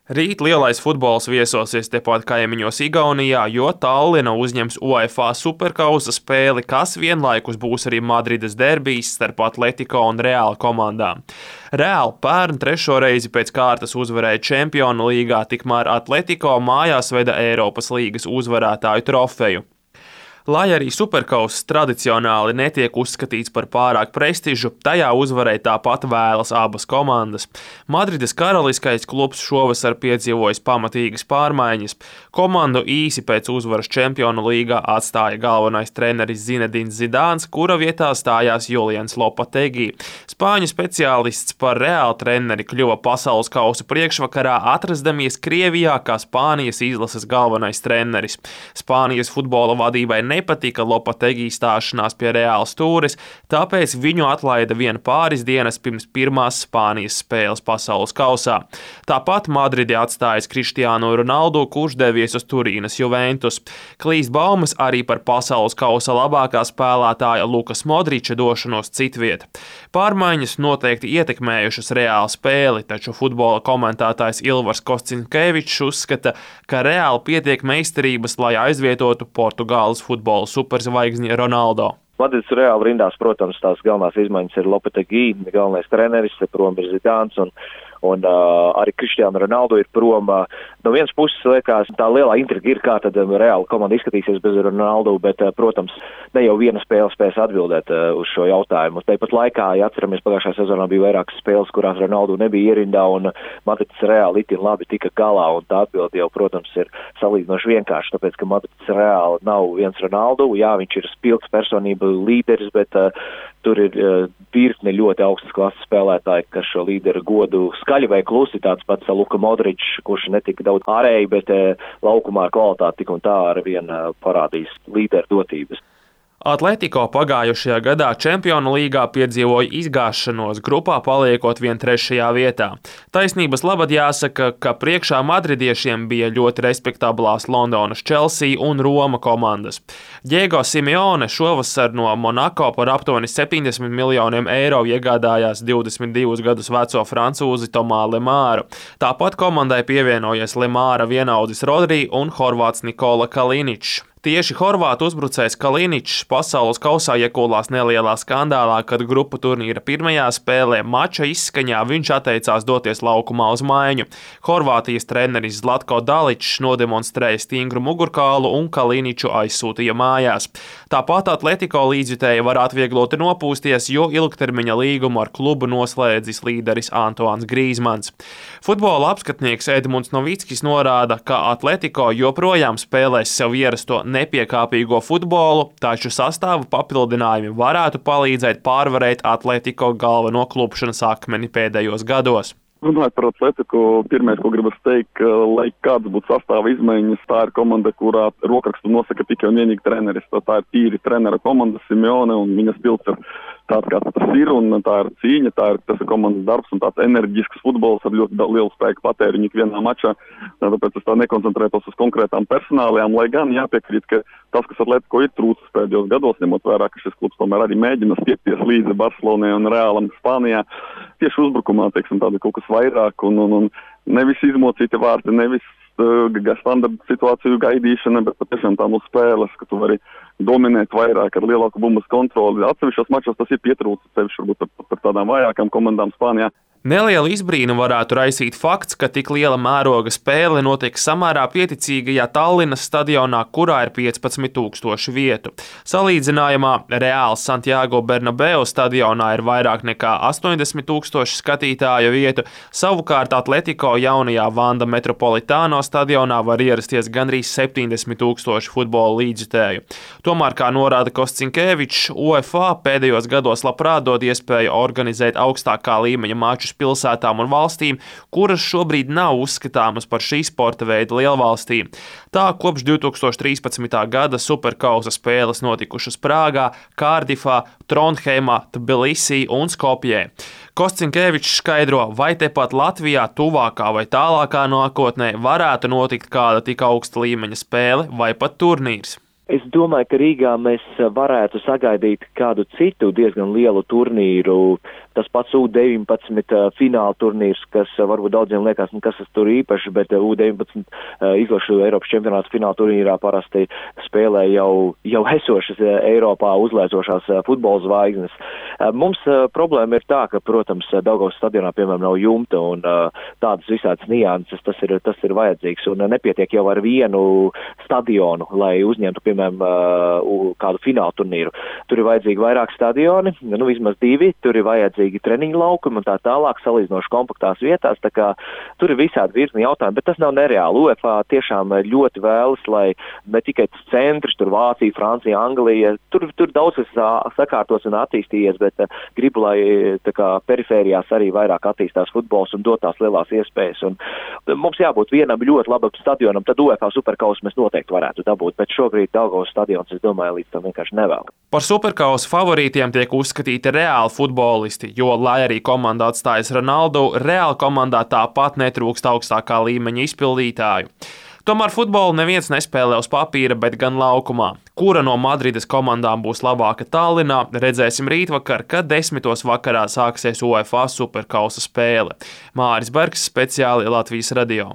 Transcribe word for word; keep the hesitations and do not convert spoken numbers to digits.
Rīt lielais futbols viesosies tepat kaimiņos Igaunijā, jo Tallina uzņems UEFA Superkausa spēli, kas vienlaikus būs arī Madrides derbijs starp Atletico un Real komandām. Real pērn trešo reizi pēc kārtas uzvarēja Čempionu līgā, tikmēr Atletico mājās veda Eiropas līgas uzvarētāju trofeju. Lai arī Superkauss tradicionāli netiek uzskatīts par pārāk prestižu, tajā uzvarēja tāpat vēlas abas komandas. Madrides karaliskais klubs šovasar piedzīvojis pamatīgas pārmaiņas. Komandu īsi pēc uzvaras Čempionu līgā atstāja galvenais treneris Zinedins Zidāns, kura vietā stājās Julians Lopetegui. Spāņu speciālists par Real treneri kļuva pasaules kausa priekšvakarā, atrastamies Krievijā kā Spānijas izlases galvenais treneris. Spānijas futbola vadībai nepatika Lopetegui stāšanās pie Reāla stūres, tāpēc viņu atlaida vien pāris dienas pirms pirmās Spānijas spēles pasaules kausā. Tāpat Madridi atstājis Cristiano Ronaldo, kurš devies uz Turīnas Juventus. Klīst baumas arī par pasaules kausa labākā spēlētāja Lukas Modriča došanos citviet. Pārmaiņas noteikti ietekmējušas Reāla spēli, taču futbola komentētājs Ilvars Kostinkevičs uzskata, ka Reāli pietiek meistarības, lai aizvietotu Portugāles futbola superzvaigzni Ronaldo. Madrides Reāla rindās, protams, tās galvenās izmaiņas ir Lopetegui, galvenais treneris, prom ir Zidāns un Un uh, arī Cristiano Ronaldo ir prom. Uh, no vienas puses, liekas, tā lielā intriga ir, kā tad um, Reāla komanda izskatīsies bez Ronaldo, bet, uh, protams, ne jau viena spēle spēs atbildēt uh, uz šo jautājumu. Tāpat laikā, ja atceramies, pagājušajā sezonā bija vairākas spēles, kurās Ronaldo nebija ierindā, un uh, Madrides Reāla itin labi tika galā, un tā atbilde jau, protams, ir salīdzinoši vienkārši, tāpēc, ka Madrides Reāla nav viens Ronaldo, jā, viņš ir spilgts personība līderis, bet uh, tur ir uh, virkne ļoti augstas klases spēlētāji, kas šo līderu godu skaļi vai klusi, tāds pats Luka Modričs, kurš netika daudz ārēji, bet e, laukumā ar kvalitāti tik un tā ar vien e, parādīs līderu dotības. Atletico pagājušajā gadā Čempionu līgā piedzīvoja izgāšanos, grupā paliekot vien trešajā vietā. Taisnības labad jāsaka, ka priekšā madridiešiem bija ļoti respektablās Londonas Chelsea un Roma komandas. Diego Simeone šovasar no Monako par aptuveni septiņdesmit miljoniem eiro iegādājās divdesmit divus gadus veco francūzi Tomā Lemāru. Tāpat komandai pievienojies Lemāra vienaudzis Rodri un horvāts Nikola Kaliničs. Tieši horvātu uzbrucējs Kaliničs pasaules kausā iekūlās nelielā skandālā, kad grupu turnīra pirmajā spēlē mača izskaņā viņš atteicās doties laukumā uz maiņu. Horvātijas treneris Zlatko Daličs nodemonstrēja stingru mugurkaulu un Kaliniču aizsūtīja mājās. Tāpat Atletico līdzjutēji var atviegloti nopūsties, jo ilgtermiņa līgumu ar klubu noslēdzis līderis Antoans Grīzmans. Futbola apskatnieks Edmunds Novickis norāda, ka Atletico joprojām spēlēs sev ierasto nepiekāpīgo futbolu, taču sastāva papildinājumi varētu palīdzēt pārvarēt Atletico galveno klupšanas akmeni pēdējos gados. Runājot par Atletico, pirmais, ko gribas teikt, ka, lai kāds būtu sastāva izmaiņas, tā ir komanda, kurā rokrakstu nosaka tikai un vienīgi treneris. Tā ir tīri trenera komanda Simeone, un viņas pilts ir tāds, kāds tas ir, un tā ir cīņa, tā ir, tas ir komandas darbs un tāds enerģisks futbols ar ļoti lielu spēku patēriņu ikvienā mačā. Tāpēc es tā nekoncentrētos uz konkrētām personālijām, lai gan jāpiekrīt, ka tas, kas Atletico ir trūcis pēdējos gados, ņemot vērā, ka šis klubs tomēr arī mēģina stiepties līdzi Barcelonai un Reālam Spānijā, tieši uzbrukumā, teiksim, tāda kaut kas vairāk un, un, un nevis izmocīti vārti, nevis uh, standarta situāciju gaidīšana, bet patiešām tā mūsu spēles, ka tu vari dominēt vairāk ar lielāku bumbas kontroli. Atsevišķos mačos tas ir pietrūcis, sevišķi varbūt par, par tādām vājākām komandām Spānijā. Nelielu izbrīnu varētu raisīt fakts, ka tik liela mēroga spēle notiek samērā pieticīgajā Tallinas stadionā, kurā ir piecpadsmit tūkstoši vietu. Salīdzinājumā Reāls Santiago Bernabeu stadionā ir vairāk nekā astoņdesmit tūkstoši skatītāju vietu, savukārt Atletico jaunajā Vanda Metropolitano stadionā var ierasties gandrīz septiņdesmit tūkstoši futbola līdzjutēju. Tomēr, kā norāda Kostinkevičs, UEFA pēdējos gados labprāt dod iespēju organizēt augstākā līmeņa mačus pilsētām un valstīm, kuras šobrīd nav uzskatāmas par šī sporta veida lielvalstīm. Tā kopš divi tūkstoši trīspadsmitā gada superkausa spēles notikušas Prāgā, Kārdifā, Trondheimā, Tbilisī un Skopjē. Kostinkevičs skaidro, vai tepat Latvijā tuvākā vai tālākā nākotnē varētu notikt kāda tik augsta līmeņa spēle vai pat turnīrs. Es domāju, ka Rīgā mēs varētu sagaidīt kādu citu diezgan lielu turnīru. tas pats U deviņpadsmit fināla turnīrs, kas varbūt daudziem liekas, nu, kas tas tur īpaši, bet U deviņpadsmit izlašu Eiropas čempionāta fināla turnīrā parasti spēlē jau, jau esošas Eiropā uzlēcošās futbola zvaigznes. Mums problēma ir tā, ka, protams, Daugavas stadionā, piemēram, nav jumta un tādas visādas nianses, tas ir, tas ir vajadzīgs un nepietiek jau ar vienu stadionu, lai uzņemtu, piemēram, kādu fināla turnīru. Tur ir vajadzīgi vairāk stadioni, nu vismaz divi, tur ir vajadzīgi treniņu laukumi un tā tālāk salīdzinoši kompaktās vietās, tā kā tur ir visādi virkni jautājumi, bet tas nav nereāli. UEFA tiešām ļoti vēlas, lai ne tikai tas centrs, tur Vācija, Francija, Anglija, tur, tur daudz kas sakārtos un attīstījies, bet gribu, lai tā kā perifērijās arī vairāk attīstās futbols un dotās lielās iespējas. Un mums jābūt vienam ļoti labam stadionam, tad UEFA superkausu mēs noteikti varētu dabūt, bet šobrīd Daugavas stadions, es domāju, līdz tam vienkārši nevēl. Par superkausu favorītiem tiek uzskatīti reāli futbolisti, jo, lai arī komanda atstājas Ronaldu, reāli komandā tāpat netrūkst augstākā līmeņa izpildītāju. Tomēr futbolu neviens nespēlē uz papīra, bet gan laukumā. Kura no Madrides komandām būs labāka Tallinā, redzēsim rītvakar, kad desmitos vakarā sāksies UEFA superkausa spēle. Māris Bergs, speciāli Latvijas radio.